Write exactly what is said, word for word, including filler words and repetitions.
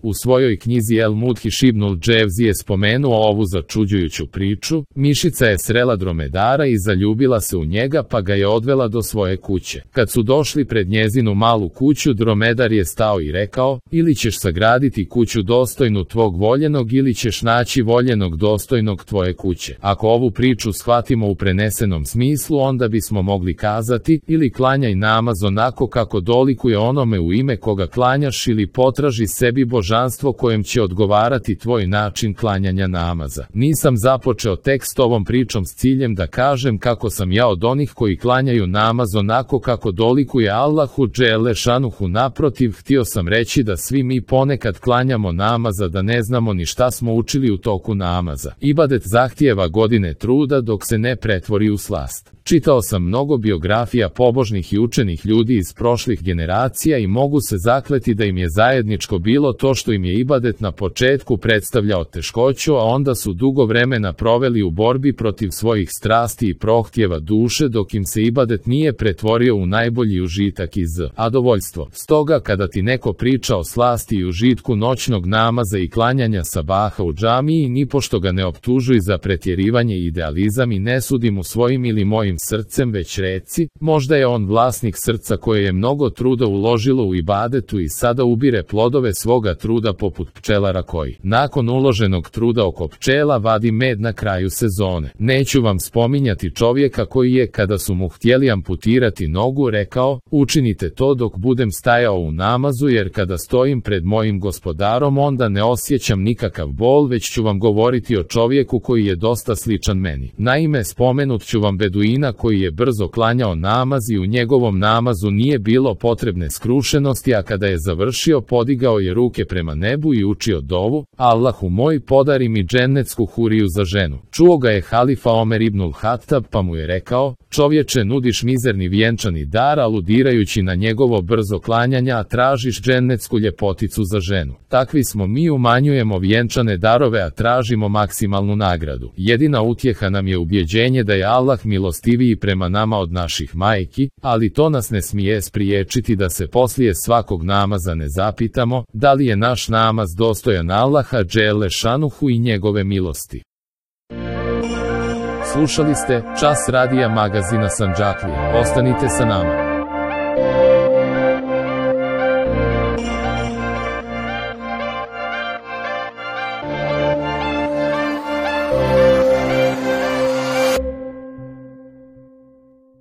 U svojoj knjizi El Mudhiš ibnul Dževzi je spomenuo ovu začuđujuću priču. Mišica je srela dromedara i zaljubila se u njega pa ga je odvela do svoje kuće. Kad su došli pred njezinu malu kuću, dromedar je stao i rekao: ili ćeš sagraditi kuću dostojnu tvog voljenog ili ćeš naći voljenog dostojnog tvoje kuće. Ako ovu priču shvatimo u prenesenom smislu, onda bismo mogli kazati: ili klanjaj namaz onako kako dolikuje onome u ime koga klanjaš, ili potraži sebi božanstvo kojem će odgovarati tvoj način klanjanja namaza. Nisam započeo tekst ovom pričom s ciljem da kažem kako sam ja od onih koji klanjaju namaz onako kako dolikuje Allahu dželle šanuhu. Naprotiv, htio sam reći da svi mi ponekad klanjamo namaza da ne znamo ni šta smo učili u toku namaza. Ibadet zahtijeva godine truda dok se ne pretvori u slast. Čitao sam mnogo biografija pobožnih i učenih ljudi iz prošlih generacija i mogu se zakleti da im je zajedničko bilo to što im je ibadet na početku predstavljao teškoću, a onda su dugo vremena proveli u borbi protiv svojih strasti i prohtjeva duše dok im se ibadet nije pretvorio u najbolji užitak i zadovoljstvo. Stoga kada ti neko priča o slasti i užitku noćnog namaza i klanjanja sabaha u džamiji, nipošto ga ne optužuj za pretjerivanje i idealizam i ne sudi mu svojim ili mojim srcem, već reci: možda je on vlasnik srca koje je mnogo truda uložilo u ibadetu i sada ubire plodove svoga truda poput pčelara koji, nakon uloženog truda oko pčela, vadi med na kraju sezone. Neću vam spominjati čovjeka koji je, kada su mu htjeli amputirati nogu, rekao: učinite to dok budem stajao u namazu, jer kada stojim pred mojim gospodarom onda ne osjećam nikakav bol, već ću vam govoriti o čovjeku koji je dosta sličan meni. Naime, spomenut ću vam beduina koji je brzo klanjao namaz i u njegovom namazu nije bilo potrebne skrušenosti, a kada je završio podigao je ruke prema nebu i učio dovu: Allahu moj, podari mi džennetsku huriju za ženu. Čuo ga je halifa Omer ibnul Hatab pa mu je rekao: čovječe, nudiš mizerni vjenčani dar aludirajući na njegovo brzo klanjanje, a tražiš džennetsku ljepoticu za ženu. Takvi smo mi, umanjujemo vjenčane darove, a tražimo maksimalnu nagradu. Jedina utjeha nam je ubjeđenje da je Allah milostiviji prema nama od naših majki, ali to nas ne smije spriječiti da se poslije svakog namaza ne zapitamo da li je naš namaz dostojan Allaha dželle šanuhu i njegove milosti. Slušali ste Čas radija magazina Sandžaklija. Ostanite sa nama.